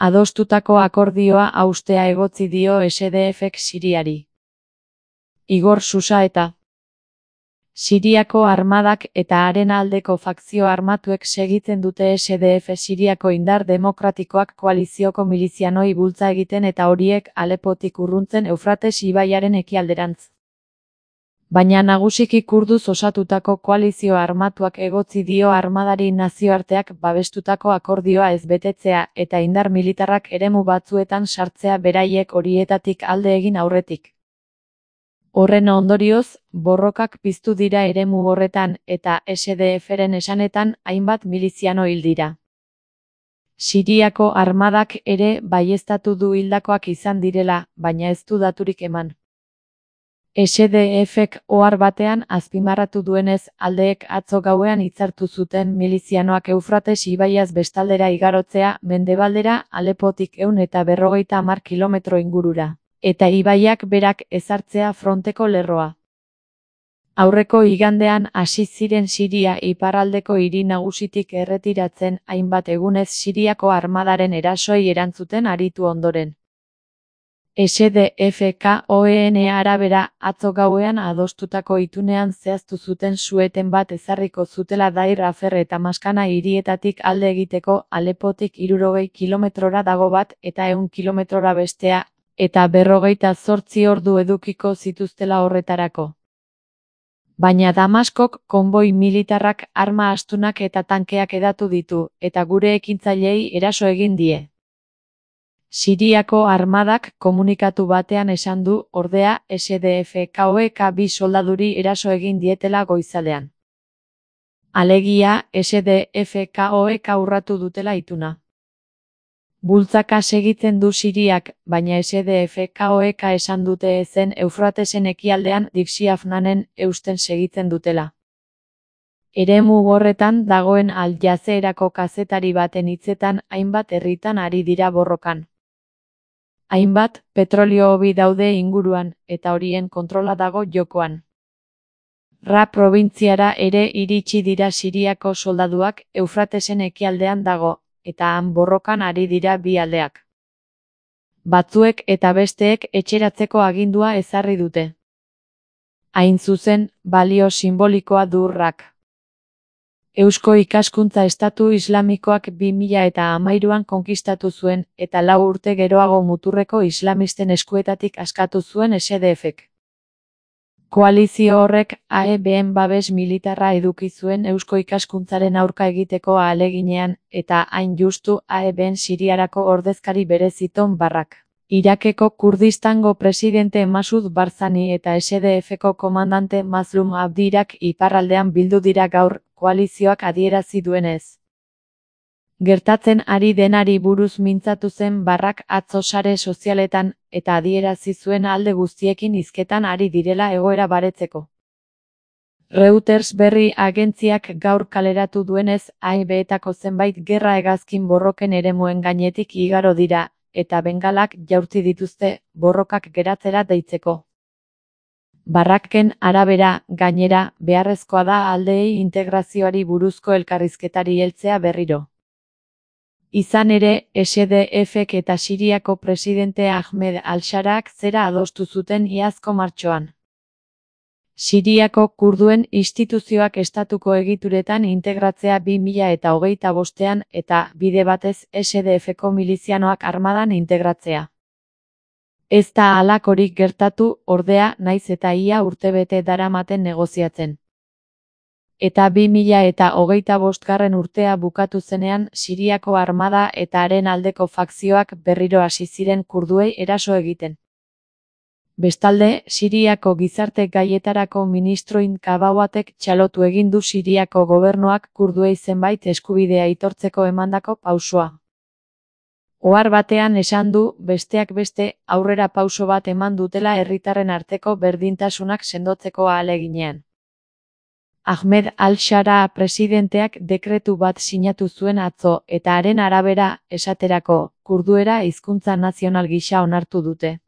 Adostutako akordioa haustea egotzi dio SDFek Siriari. Igor Susaeta. Siriako armadak eta haren aldeko fakzio armatuek segitzen dute SDF Siriako indar demokratikoak koalizioko milizianoi bultza egiten eta horiek Alepotik urruntzen Eufrates ibaiaren ekialderantz. Baina nagusiki kurduz osatutako koalizio armatuak egotzi dio armadari nazioarteak babestutako akordioa ez betetzea eta indar militarrak eremu batzuetan sartzea beraiek horietatik alde egin aurretik. Horren ondorioz, borrokak piztu dira eremu horretan eta SDFren esanetan hainbat miliziano hil dira. Siriako armadak ere baieztatu du hildakoak izan direla, baina ez du daturik eman. SDFek ohar batean azpimarratu duenez, aldeek atzo gauean hitzartu zuten milizianoak Eufrates ibaiaz bestaldera igarotzea mendebaldera Alepotik 150 kilometro ingurura. Eta ibaiak berak ezartzea fronteko lerroa. Aurreko igandean hasi ziren Siria iparraldeko hiri nagusitik erretiratzen hainbat egunez Siriako armadaren erasoei erantzuten aritu ondoren. SDFKOEN arabera atzo gauean adostutako itunean zehaztu zuten su-eten bat ezarriko zutela Dair Afer eta Maskana hirietatik alde egiteko Alepotik 60 kilometrora dago bat eta 100 kilometrora bestea, eta 48 ordu edukiko zituztela horretarako. Baina Damaskok konboi militarrak arma astunak eta tankeak hedatu ditu, eta gure ekintzaileei eraso egin die. Siriako armadak komunikatu batean esan du, ordea, SDFKOek 2 soldaduri eraso egin dietela goizaldean. Alegia, SDFKOek urratu dutela ituna. Bultzaka segitzen du Siriak, baina SDFKOek esan dute ezen Eufratesen ekialdean Dixiafnanen eusten segitzen dutela. Eremu horretan dagoen Al Jazeerako kazetari baten hitzetan hainbat herritan ari dira borrokan. Hainbat petrolio hobi daude inguruan, eta horien kontrola dago jokoan. Ra probintziara ere iritsi dira Siriako soldaduak Eufratesen ekialdean dago, eta han borrokan ari dira bi aldeak. Batzuek eta besteek etxeratzeko agindua ezarri dute. Hain zuzen, balio simbolikoa du Rak. Eusko Ikaskuntza Estatu Islamikoak 2013an konkistatu zuen, eta 4 urte geroago muturreko islamisten eskuetatik askatu zuen SDFek. Koalizio horrek AEBen babes militarra eduki zuen Eusko Ikaskuntzaren aurka egiteko ahaleginean, eta hain justu AEBen Siriarako ordezkari bereziton Barrak. Irakeko Kurdistango presidente Masud Barzani eta SDFko komandante Mazlum Abdirak iparraldean bildu dira gaur, koalizioak adierazi duenez. Gertatzen ari denari buruz mintzatu zen Barrak atzo sare sozialetan, eta adierazi zuen alde guztiekin hizketan ari direla egoera baretzeko. Reuters berri agentziak gaur kaleratu duenez, AEBetako zenbait gerra hegazkin borroken eremuen gainetik igaro dira, eta bengalak jaurti dituzte borrokak geratzera deitzeko. Barraken arabera, gainera, beharrezkoa da aldeei integrazioari buruzko elkarrizketari heltzea berriro. Izan ere, SDFek eta Siriako presidente Ahmed al-Sharak zera adostu zuten iazko martxoan. Siriako kurduen instituzioak estatuko egituretan integratzea 2025an eta bide batez SDFko milizianoak armadan integratzea. Ez da halakorik gertatu, ordea, naiz eta ia urtebete daramaten negoziatzen. Eta 2025 urtea bukatu zenean Siriako armada eta haren aldeko fakzioak berriro hasi ziren kurduei eraso egiten. Bestalde, Siriako gizarte gaietarako ministroin Kabawatek txalotu egin du Siriako gobernuak kurduei zenbait eskubidea aitortzeko emandako pausoa. Ohar batean esan du, besteak beste, aurrera pauso bat eman dutela herritarren arteko berdintasunak sendotzeko ahaleginean. Ahmed al-Shara presidenteak dekretu bat sinatu zuen atzo, eta haren arabera, esaterako, kurduera hizkuntza nazional gisa onartu dute.